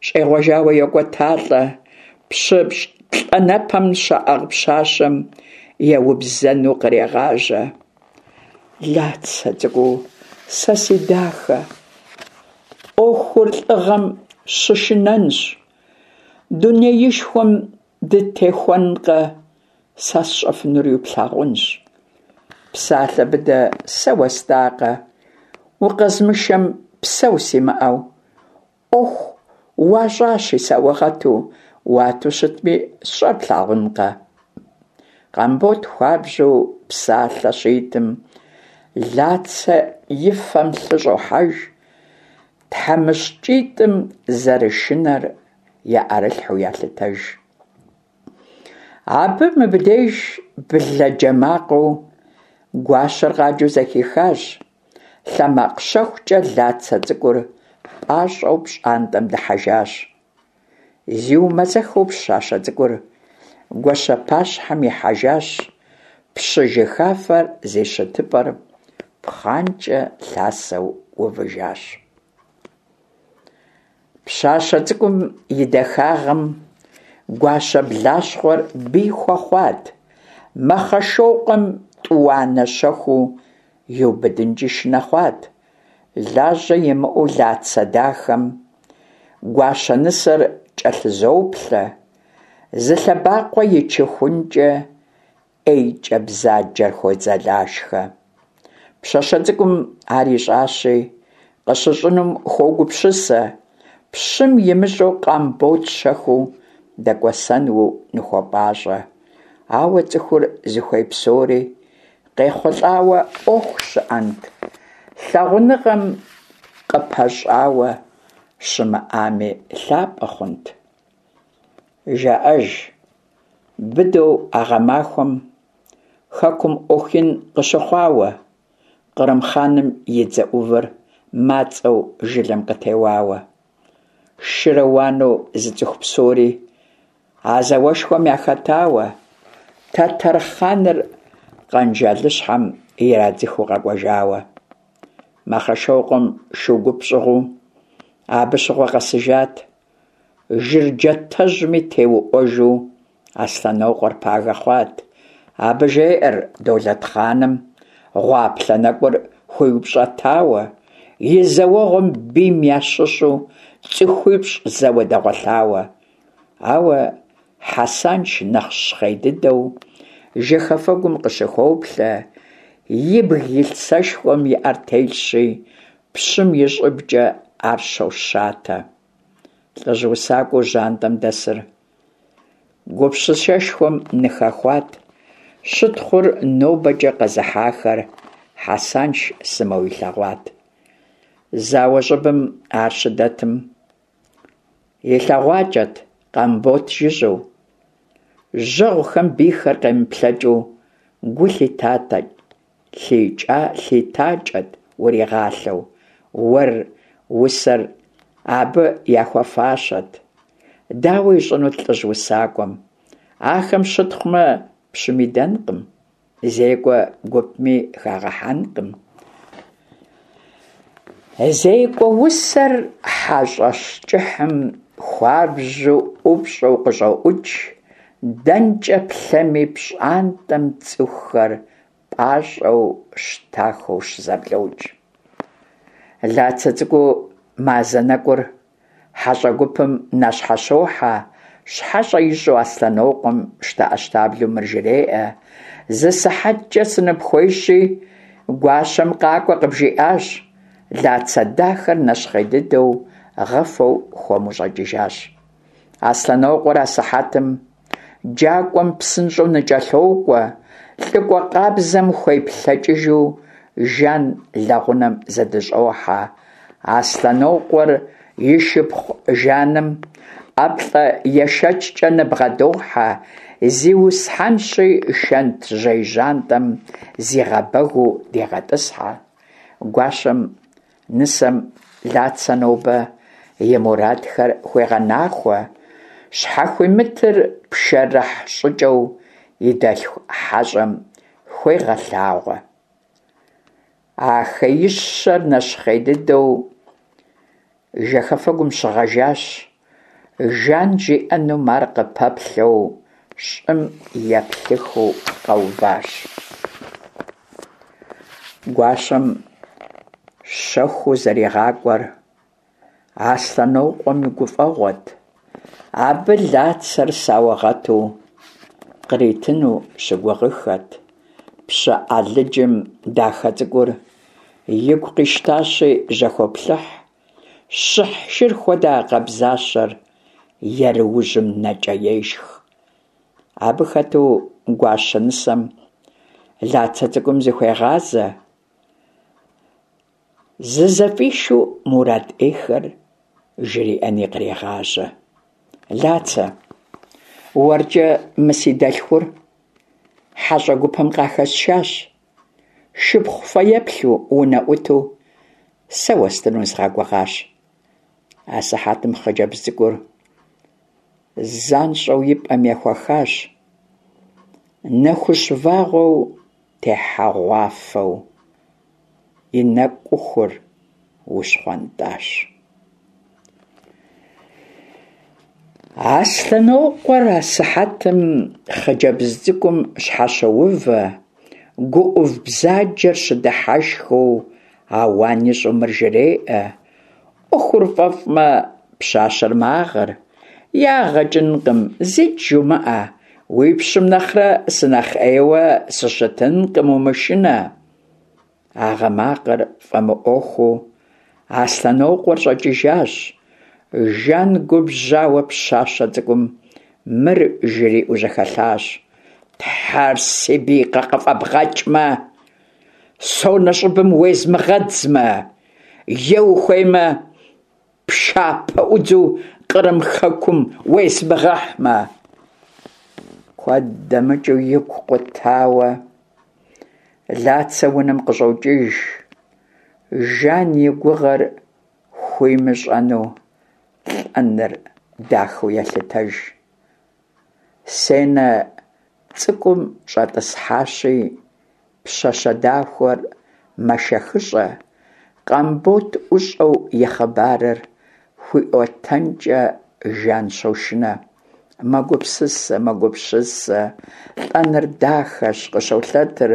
щӏегъуэжауэ йокӏуэталӏэ, пщы плӏанэпэм щаӏыгъ пщащэм еубзэну кърегъажьэ. Лацэ цӏыкӏуу, сэ си дахэ, ӏуэхур лӏыгъэм щышынэнщ, дунеишхуэм дытехуэнкъэ, сэ сщӏэфынури плъагъунщ. Псалъэ быдэ сэ уэстакъэ, укъэзмышэм псэу симыӏэу, ӏуэху уащӏащи саугъэту, уату щытми, сщӏэр плъагъункъэ. Къамбот хуабжьу псалъэ щитым, Лацэ и фэм лъы щӏохьэж, тхьэмыщкӏитӏым зэрышынэр я ӏэрылъхьэу ялъытэж. Абы мыбдеж блэ джэ макъыу гуащэр къаджэу зэхихащ. Лъэ макъ щэхукӏэ Лацэ цӏыкӏур пӏащӏэу пщӏантӏэм дыхьэжащ. Зиумэзэхыу пщащэ цӏыкӏур гуащэ пащхьэм ихьэжащ, пщы жыхафэр зи щытыпӏэр пхъанкӏэ лъасэу увыжащ. Пщащэ цӏыкӏум и дахагъэм гуащэ блащхъуэр бий хуэхъуат, Мэхъэшокъуэм тӏуанэ щэхуу иубыдынкӏи шынэ хъуат. Лажьэ имыӏэу Лацэ дахэм гуащэ нысэр кӏэлъызоплъэ, зы лъэбакъуэ ичыхункӏэ ӏейкӏэ бзаджэр хуодзэлашхэ. Пщащэ цӏыкӏум ар ищӏащи, къыщыщӏынум хуогупсысэ, пщым имыщӏэу Къамбот щэхуу дэкӏуэсэну ныхуопӏащӏэ. Ауэ цӏыхур зыхуей псори къехъулӏауэ ӏуэху щыӏэнт, лъагъуныгъэм къыпэщӏауэ щымыӏами лъапӏэ хъунт. Жаӏэж, быдэу а гъэмахуэм хэкум ӏуэху ин къыщыхъуауэ, Кърым хъаным и дзэ ӏувыр мацӏэу жылэм къытеуауэ. Шырэ уанэу зыцӏыху псори а зауэшхуэм яхэтауэ, тэтэр хъаныр Къэнжалыщхьэм ирадзыхыу къэкӏуэжауэ. Мэхъэшокъуэм шу гуп щӏыгъуу абы щыгъуэ къэсыжат. Жыр джатэжьми теуӏуэжу Аслъэнокъуэр пагэ хъуат. Абы жеӏэр Долэтхъаным гъуаплъэ нэкӏур хуиупщӏэтауэ, и зэуэгъуэм бийм ящыщу цӏыхуипщӏ зэуэ дэгъуэлъауэ. Ауэ Хьэсанш нэхъ щхъей дыдэу жэхэфэгум къыщыхоплъэ, ибг илъ сэшхуэм и ӏэр телъщи, пщым и щӏыбкӏэ ар щощатэ. Лӏыжь усакӏуэу жьантӏэм дэсыр гупсысэшхуэм ныхэхуат, щытхъур нобэкӏэ къэзыхьахэр. Хьэсанш сымэу илъэгъуат. Зауэ щӏыбым ар щыдэтым, илъэгъуакӏэт Къамбот жыжьэу. Жьэгъухэм бийхэр къемыплъэкӏыу гу лъитакӏэт уригъалъэу, уэр усэр абы яхуэфащэт. Дауэ ищӏынут лӏыжь усакӏуэм? Ахэм щытхъумэ, пщым идэнкъым. Зекӏуэ гупми хагъэхьэнкъым. Зекӏуэ усэр хьэщӏэщ кӏыхьым хуабжьу ӏупщӏу къыщӏоӏукӏ, дэнкӏэ плъэми пщӏантӏэм цӏыхухэр пӏащӏэу щтахэу щызэблокӏ. Лацэ цӏыкӏуу мазэ нэкӏур Хьэщӏэ гупым нащхьэщохьэ, щхьэщэ ищӏу Аслъэнокъуэм щтэӏэщтаблэу мыр жреӏэ: Зы сыхьэткӏэ сыныпхуейщи, гуащэм къакӏуэ къыбжиӏащ. Лацэ дахэр нэщхъей дыдэу гъыфэу хуэму щӏэкӏыжащ. Аслъэнокъуэр асыхьэтым джакӏуэм псынщӏэу ныкӏэлъокӏуэ, лӏыкӏуэ къабзэм хуеплъэкӏыжу Жан лэгъунэм зэдыщӏохьэ. Аслъэнокъуэр и шыпхъу Жаным ӏэплӏэ ешэчкӏэ ныбгъэдохьэ, зиусхьэнщи шэнтжьей жьантӏэм зигъэбэгыу дегъэтӏысхьэ. Гуащэм Нысэм Лацэ нобэ и мурадхэр хуегъэнахуэ, щхьэхуимытыр пшэрыхь щӏыкӏэу и дэлъху хьэщӏэм хуегъэлъагъуэ. А хеищэр нэщхъей дыдэу жэхэфэгум щыгъэжащ, Жан жиӏэнум ар къыпэплъэу щӏым еплъыхыу къэуващ. Гуащэм щэхуу зэригъакӏуэр Аслъэнокъуэм и гуфӏэгъуэт. Абы Лацэр саугъэту къритыну щыгугъыххэт. Пщы Алыджым дахэ цӏыкӏур игу къищтащи, жьэхоплъыхь. Щыхь шыр хуэдэ а къабзащэр еруужьым нэкӏэ ешх. Абы хэту гуащэ нысэм Лацэ цӏыкӏум зыхуегъазэ, зызэфӏишу мурад ӏейхэр жриӏэни кърегъажьэ. Лацэ, уэркӏэ мы си дэлъхур хьэщӏэ гупым къахэсшащ. Шыпхъу фэеплъу, унэӏуту сэ уэстыну згъэгугъащ. Асыхьэтым хъыджэбз цӏыкӏур занщӏэу и пӏэм ехуэхащ, нэхущ вагъуэу техьэгъуафэу и нэкӏухур ущхъуэнтӏащ. Аслъэнокъуэр асыхьэтым хъыджэбз цӏыкӏум щхьэщоувэ, гу ӏув бзаджэр щыдыхьэшхыу ауан ищӏу мыр жреӏэ: ӏуэхур фӏэфӏмэ, пщащэр магъыр, ягъэ кӏынкъым, зикӏ жумыӏэ, уи пщым нэхърэ сынэхъ ӏейуэ сыщытынкъым, умышынэ. А гъы макъыр фӏэмыӏуэхуу Аслъэнокъуэр щӏэкӏыжащ. Жан губжьауэ пщащэ цӏыкӏум мыр жриӏэу жьэхэлъащ: Тхьэр си бий къыфӏэбгъэкӏмэ, сонэ щӏыбым уезмыгъэдзмэ, е ухуеймэ, пшапэӏудзу Кърым хэкум уезмыгъэхьмэ. Куэд дэмыкӏыу игу къутауэ Лацэ унэм къыщӏокӏыж, Жан и гугъэр хуимыщӏэну лӏэныр дахэу елъытэж. Сенэ цӏыкӏум щӏэтӏысхьащи, пщащэ дахэр мэшэхыщӏэ, Къамбот ӏущӏэу и хъыбарыр хуиӏуэтэнкӏэ Жан щошынэ. Мэгупсысэ, мэгупсысэ, лӏэныр дахэщ, къыщолъэтыр.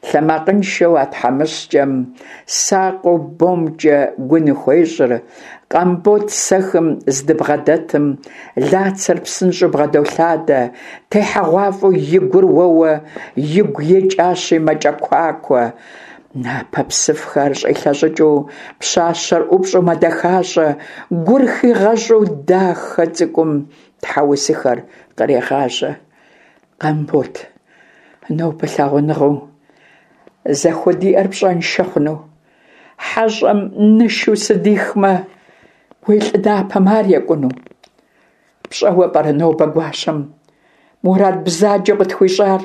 Лъэмакъыншэу а тхьэмыщкӏэм сакъыу бомкӏэ гу ныхуещӏыр. Къамбот сэхым здыбгъэдэтым, Лацэр псынщӏэу бгъэдолъадэ, техьэгъуафӏэу и гур уэуэ, игу икӏащи мэкӏэкуакуэ. Напэ псыфхэр щӏилъэщӏыкӏыу, пщащэр ӏупщӏу мэдэхащӏэ, гур хигъэщӏу дахэ цӏыкӏум тхьэусыхэр кърегъажьэ. Къамбот, нобэ лъагъуныгъэу. Зэхудиӏэр пщӏэншэ хъуну? Хьэщӏэм нышу сыдихмэ, уи лӏы напэм ар екӏуну? Пщӏэуэ пӏэрэ нобэ гуащэм мурад бзаджэу къытхуищӏар?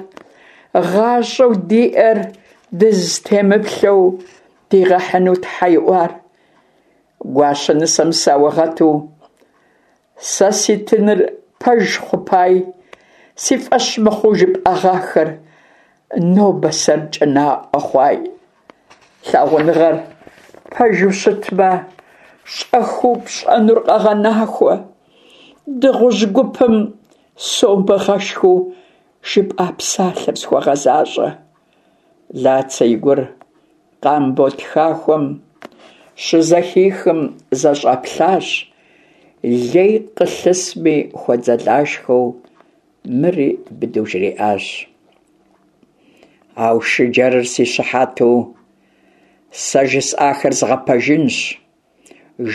Гъащӏэу диӏэр дызытемыплъэу дигъэхьыну тхьэ иӏуар? Гуащэ нысэм саугъэту сэ ситыныр пэж хъупай, си фӏэщ мыхъуу жыпӏэгъахэр нобэ сэркӏэ наӏуэ хъуай. Лъагъуныгъэр пэжу щытмэ, щӏэхыу пщӏэнур къэгъэнахуэ. Дыгъужь гупым сомыгъэшхыу жыпӏа псалъэр схуэгъэзащӏэ. Лацэ и гур Къамбот хахуэм щызэхихым зэщӏэплъащ, лей къылъысми хуэдзэлашхэу мыри быдэу жриӏащ. Аушыджэрыр си щыхьэту сэ жысӏахэр згъэпэжынщ.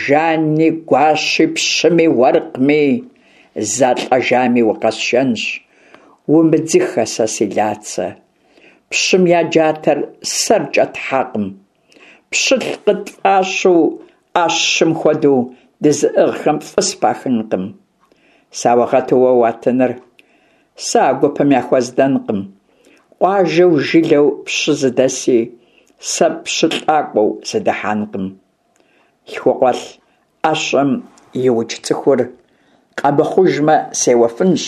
Жани, гуащи, пщыми, уэркъми, зэлӏэжами укъэсшэнщ. Умыдзыхэ сэ си Лацэ. Пщым я джатэр сэркӏэ тхьэкъым. Пщылӏ къытфӏащу ӏэщым хуэдэу дызыӏыгъхэм фӏы спахынкъым. Саугъэту уэ уатыныр сэ а гупым яхуэздэнкъым. Къуажэу жылэу пщы зыдэси сэ пщылӏакӏуэу сыдыхьэнкъым. Лъхукъуэлӏ ӏэщэм иукӏ цӏыхур къэмыхъужмэ, сеуэфынщ.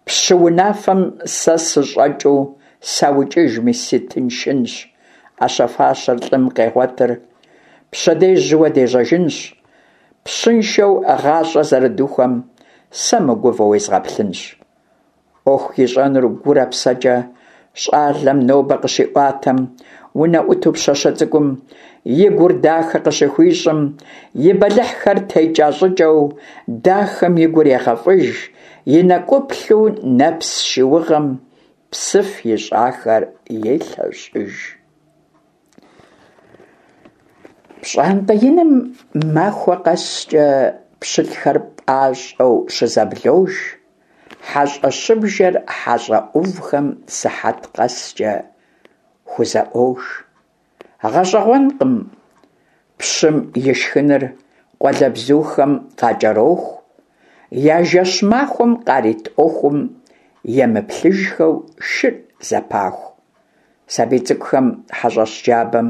Пщы унафэм сэ сыщӏэкӏыу саукӏыжми, сытыншынщ. ӏэщэ-фащэр лӏым къегъуэтыр, пщэдей жьыуэ дежьэжынщ. Пщыншэу гъащӏэ зэрыдухуэм сэ мыгувэу уезгъэплъынщ. ӏуэху ищӏэнур гурэ псэкӏэ щӏалэм нобэ къыщиӏуатэм, унэӏуту пщащэ цӏыкӏум и гур дахэ къыщыхуищӏым, и бэлыхьхэр текӏа щӏыкӏэу дахэм и гур егъэфӏыж, и нэкӏуплъу нэпс шыугъэм псыф ищӏахэр елъэщӏыж. Пщӏантӏэ иным махуэ къэскӏэ пщылӏхэр пӏащӏэу щызэблож, хьэщӏэщыбжэр хьэщӏэ ӏувхэм сыхьэт къэскӏэ хузэӏуож. Гъэщӏэгъуэнкъым, пщым и шхыныр къуалэбзухэм къакӏэроху, я жэщ-махуэм къарит ӏуэхум емыплъыжхэу шыр зэпаху. Сабий цӏыкӏухэм хьэщӏэщ джабэм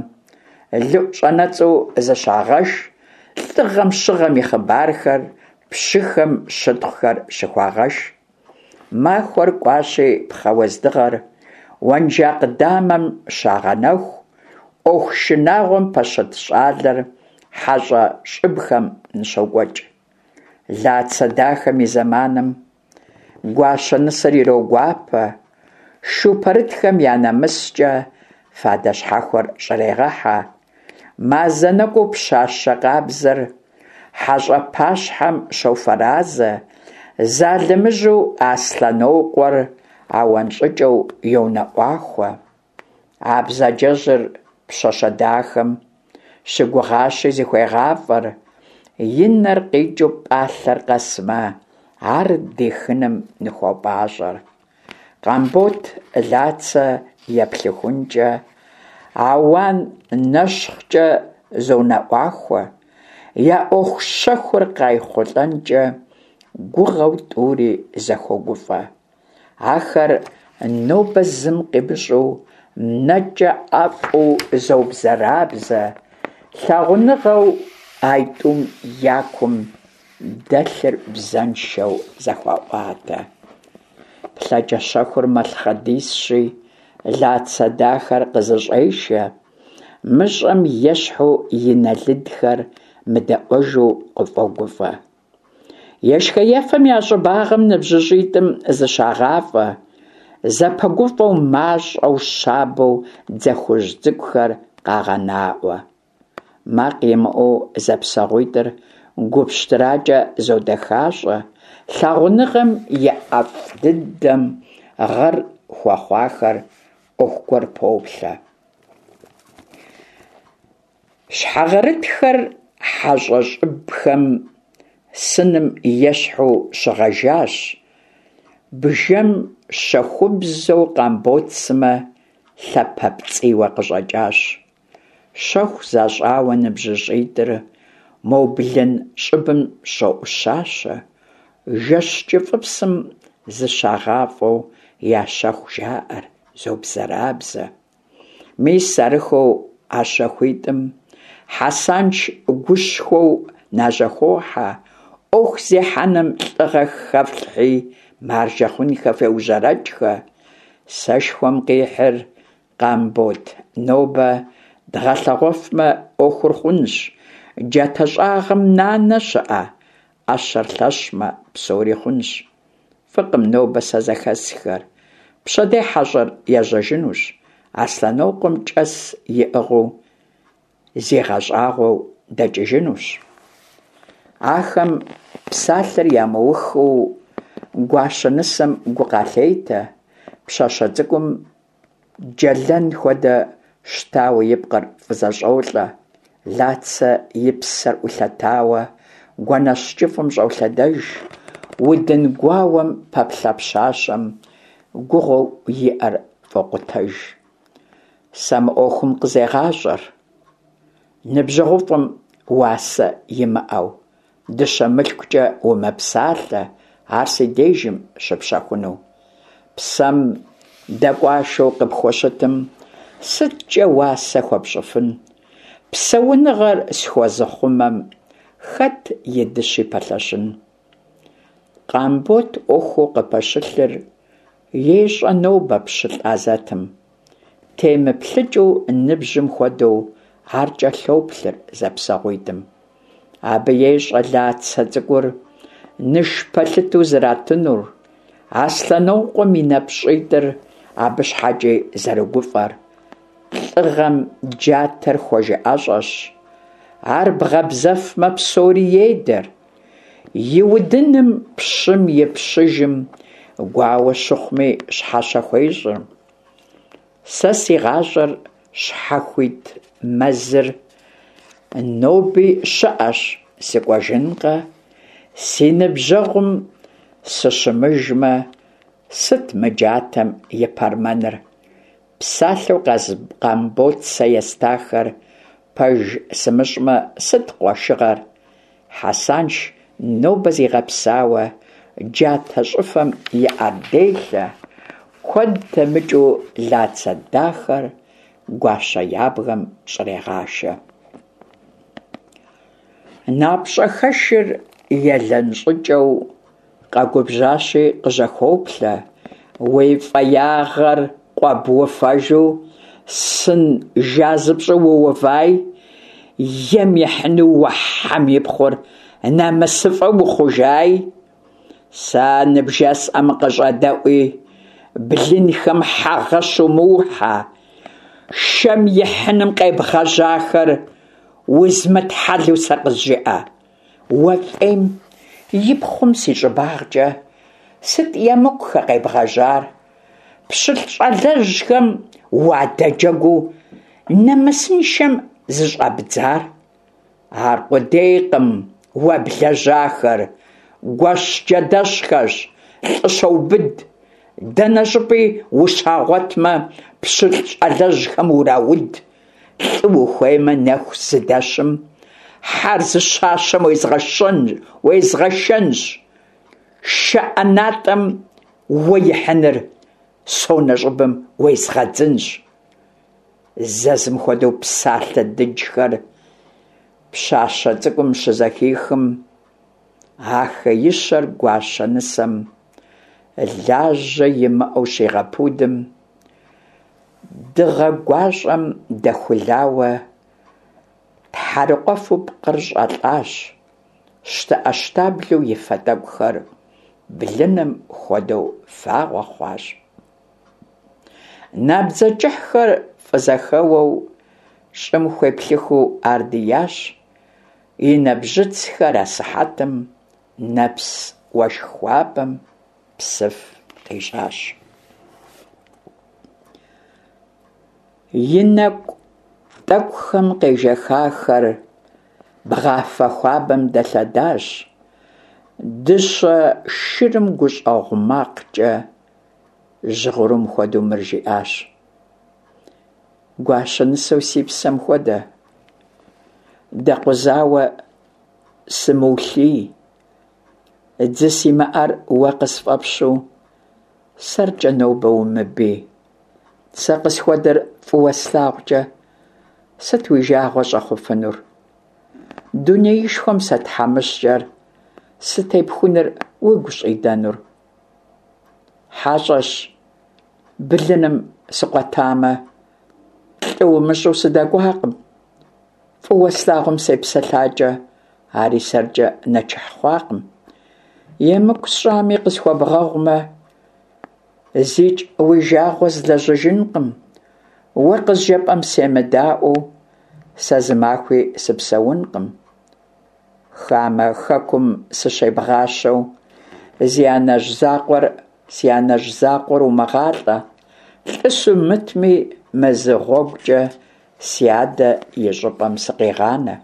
лыӏу щӏэнэцӏу зыщагъэш, лӏыгъэм щыгъэм и хъыбархэр, пщыхэм щытхъухэр щыхуагъэш. Махуэр кӏуащи, пхъэ уэздыгъэр уэнжакъ дамэм щагъэнэху, ӏуэху шынагъуэм пэщыт щӏалэр хьэщӏэ щӏыбхэм ныщокӏуэкӏ. Лацэ дахэм и зэманым Гуащэ нысэр ирогуапэ, шу пэрытхэм я нэмыскӏэ фадэ щхьэхуэр щӏрегъэхьэ. Мазэ нэкӏуу пщащэ къабзэр хьэщӏэ пащхьэм щофэразэ, залымыжьу Аслъэнокъуэр ауан щӏыкӏэу йонэӏуахуэ. А бзаджэжьыр пщащэ дахэм щыгугъащи зыхуегъафӏэр, и нэр къикӏыу пӏалъэр къэсмэ, ар дихыным ныхуопӏащӏэр. Къамбот Лацэ еплъыхункӏэ, ауан нэщхъкӏэ зонэӏуахуэ, я ӏуэху щэхур къайхъулӏэнкӏэ гугъэу тӏури зэхуогуфӏэ. Ахэр нобэ зым къимыщӏу нэкӏэ ӏэфӏу зобзэрабзэ, лъагъуныгъэу айтӏум я кум дэлъыр бзэншэу зэхуаӏуатэ. Плъэкӏэ щэхур мэлъхъэдисщи, Лацэ дахэр къызыщӏешэ, мыщӏэм ещхьу и нэ лыдхэр мыдэӏуэжу къыфӏогуфӏэ. Ешхэ-ефэм я щӏыбагъым ныбжьыщӏитӏым зыщагъафӏэ, зэпэгуфӏэу мащӏэу щабэу дзэ хужь цӏыкӏухэр къагъэнаӏуэ. Макъ имыӏэу зэпсэгъуитӏыр гу пщтыракӏэ зодэхащӏэ, лъагъуныгъэм и ӏэфӏ дыдэм гъэр хуэхъуахэр ӏуэху гуэр поплъэ. Щхьэгъэрытхэр хьэщӏэ щӏыбхэм сыным ещхьу щыгъэжащ, бжэм щэхубзэу Къамбот сымэ лъапэпцӏийуэ къыщӏэкӏащ. Щэху защӏауэ ныбжьыщӏитӏыр мо блын щӏыбым щоӏущащэ, жэщ кӏыфӏыпсым зыщагъафӏэу я щэху жаӏэр, зобзэрабзэ. Мис арыххэу а щэхуитӏым Хьэсанш гушхуэу нажьэхохьэ, ӏуэху зехьэным лӏыгъэ хэфлъхьи, маржэ хъунхэ феужьэрэкӏхэ. Сэшхуэм къихьыр Къамбот нобэ дгъэлъэгъуэфмэ, ӏуэхур хъунщ. Джатэ щӏагъым нанэ щыӏэ? ӏэщэр лъэщмэ, псори хъунщ. Фӏыкъым нобэ сэ зэхэсхэр. Пщэдей хьэщӏэр ежьэжынущ, Аслъэнокъуэм кӏэс иӏыгъыу зигъэщӏагъуэу дэкӏыжынущ. Ахэм псалъэр ямыухыу гуащэ нысэм гу къалъетэ, пщащэ цӏыкӏум джэлэн хуэдэ щтауэ и пкъыр фӏызэщӏолӏэ, Лацэ и псэр ӏулъэтауэ гуэнэщ кӏыфӏым щӏолъэдэж, удын гуауэм пэплъэ пщащэм гугъэу иӏэр фӏокъутэж. Сэ мы ӏуэхум къызегъащӏэр, ныбжьэгъуфӏым уасэ имыӏэу, дыщэ мылъкукӏэ умыпсалъэ, ар си дежым щыпщэхуну. Псэм дэкӏуашэу къыпхущытым сыткӏэ уасэ хуэпщӏыфын? Псэуныгъэр схуэзыхъумэм хэт и дыщи пэлъэщын? Къамбот ӏуэхуу къыпэщылъыр ещӏэ нобэ пщылӏ азэтым. Темыплъыкӏыу ныбжьым хуэдэу ар кӏэлъоплъыр зэпсэгъуитӏым. Абы ещӏэ Лацэ цӏыкӏур ныш пэлъытэу зэратынур, Аслъэнокъуэм и нэпщӏитӏыр абы щхьэкӏи зэрыгуфӏэр. Лӏыгъэм джатэр хуэжыӏэщӏэщ, ар бгъэбзэфмэ, псори едэр. И удыным пщым и пщыжым гуауэ щыхъуми щхьэщэ хуещӏыр. Сэ си гъащӏэр щхьэхуит мэзыр ноби щыӏэщ, сыкӏуэжынкъэ? Си ныбжьэгъум сыщымыжмэ, сыт мы джатэм и пэрмэныр? Псалъэу Къамбот сэ естахэр пэж сымыщӏмэ, сыт къуэшыгъэр? Хьэсанш нобэ зигъэпсауэ джатэ щӏыфэм и ӏэр делъэ, куэд дэмыкӏыу Лацэ дахэр гуащэ ябгэм щӏрегъашэ. Напщӏэхэшыр елэн щӏыкӏэу къэгубжьащи къыжьэхоплъэ, уи фӏеягъэр къуэбуфэжу сын жазыпщӏу уувай, ем ихьыну уэ хьэм и пхъур намысыфӏэ ухъужай. Сэ ныбжесӏэм къыщӏэдэӏуи, блынхэм хьэгъэ щумыухьэ, шэм ихьыным къебгъэжьахэр узмытхьэлэу сэ къызжыӏэ. Уэ фӏейм и пхъум си щӏыбагъкӏэ сыт емыкӏухэ къебгъэжьар? Пщылӏ щӏалэжьхэм уадэджэгуу нэмысыншэм зыщӏэбдзар? Аркъудейкъым уэ блэжьахэр, гуэщ джэдэщхэщ, лӏы щэубыд. Дэнэ щӏыпӏи ущагъуэтмэ, пщылӏ щӏалэжьхэм урауд. Лӏы ухуеймэ, нэху зыдэщым, хьэр зыщащэм уезгъэшэнщ. Шэ ӏэнатӏэм уэ ихьыныр сонэ щӏыбым уезгъэдзынщ. Зэзым хуэдэу псалъэ дыджхэр пщащэ цӏыкӏум щызэхихым, а хеищэр гуащэ нысэм лажьэ имыӏэу щигъэпудым, дыгъэ гуащӏэм дэхулауэ тхьэрыкъуэфу пкъыр щӏэлӏащ, щтэӏэщтаблэу и фэ тӏэкӏухэр блыным хуэдэу фагъуэ хъуащ. Набдзэ кӏыхьхэр фӏызэхэуэу щӏым хуеплъыхыу ар диящ, и нэбжьыцхэр асыхьэтым нэпс уэшх хуабэм псыф къищӏащ. И нэкӏу тӏэкӏухэм къежэхахэр бгъафэ хуабэм дэлъэдащ, дыщэ шырым гущӏэгъу макъкӏэ жьгъырум хуэдэу мыр жиӏащ. Гуащэ нысэу си псэм хуэдэ, дэкъузауэ сымыулъий, дзы симыӏэр уэ къысфӏэпщу, сэркӏэ нобэ умыбий. Сэ къысхуэдэр фӏыуэ слъагъукӏэ, сыт уи жагъуэ щӏэхъуфынур? Дунеишхуэм сэ тхьэмыщкӏэр сытепхуныр уигу щӏидэнур? Хьэщӏэщ блыным сыкъуэтамэ, лӏы умыщӏу сыдэкӏуакъым. Фӏыуэ слъагъум сепсэлъакӏэ, ари сэркӏэ нэчыхь хъуакъым. Емыкӏу сщӏами къысхуэбгъэгъумэ, зикӏ уи жагъуэ злэжьыжынкъым. Уэ къызжепӏэм семыдаӏуэу, сэ зы махуи сыпсэункъым. Хамэ хэкум сыщебгъащэу, зи анэжь закъуэр, си анэжь закъуэр умыгъалӏэ, лӏы сумытми, мы зы гъуэгукӏэ си адэ и щӏыпӏэм сыкъегъанэ.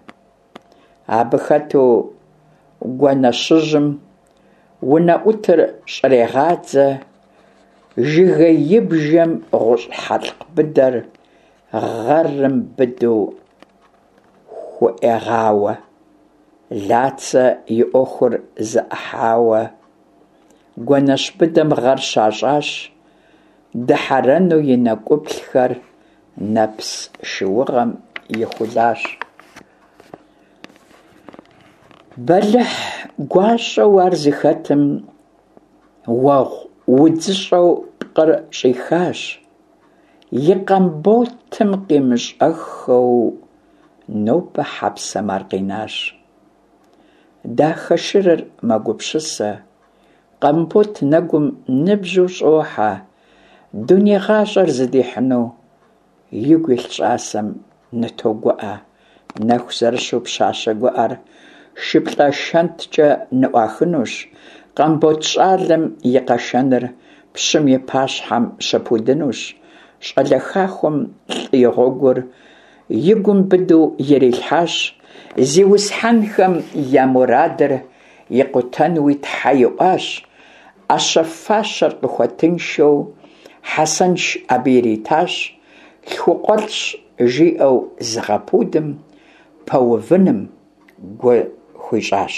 Абы хэту гуэнэщыжьым унэӏутыр щӏрегъадзэ, жыгеибжэм гъущӏ хьэлъкъ быдэр гъэрым быдэу хуӏуегъауэ. Лацэ и ӏуэхур зэӏыхьауэ, гуэнэщ быдэм гъэр щащӏащ, дыхьэрэну и нэкӏуплъхэр нэпс шыугъэм ихулащ. Бэлыхь гуащӏэу ар зыхэтым уэгъу удзыщӏэу пкъыр щӏихащ. И Къамботым къимыщӏэххэу нобэ хьэпсэм ар къинащ. Дахэ шырыр мэгупсысэ, Къамбот нэгум ныбжьу щӏохьэ, дуней гъащӏэр зыдихьыну игу илъ щӏасэм нытогуӏэ. Нэху зэрыщу пщащэ гуӏэр шыплӏэ шэнткӏэ ныӏуахынущ, Къамбот щӏалэм и къэшэныр пщым и пащхьэм щыпудынущ, щӏалэ хахуэм лӏы и гъуэгур и гум быдэу ирилъхьащ, зиусхьэнхэм я мурадыр икъутэнуи тхьэ иӏуащ, ӏэщэ-фащэр къыхуэтыншэу Хьэсэнш абы иритащ, лъхукъуэлӏщ жиӏэу зыгъэпудым пэувыным гу хуищӏащ.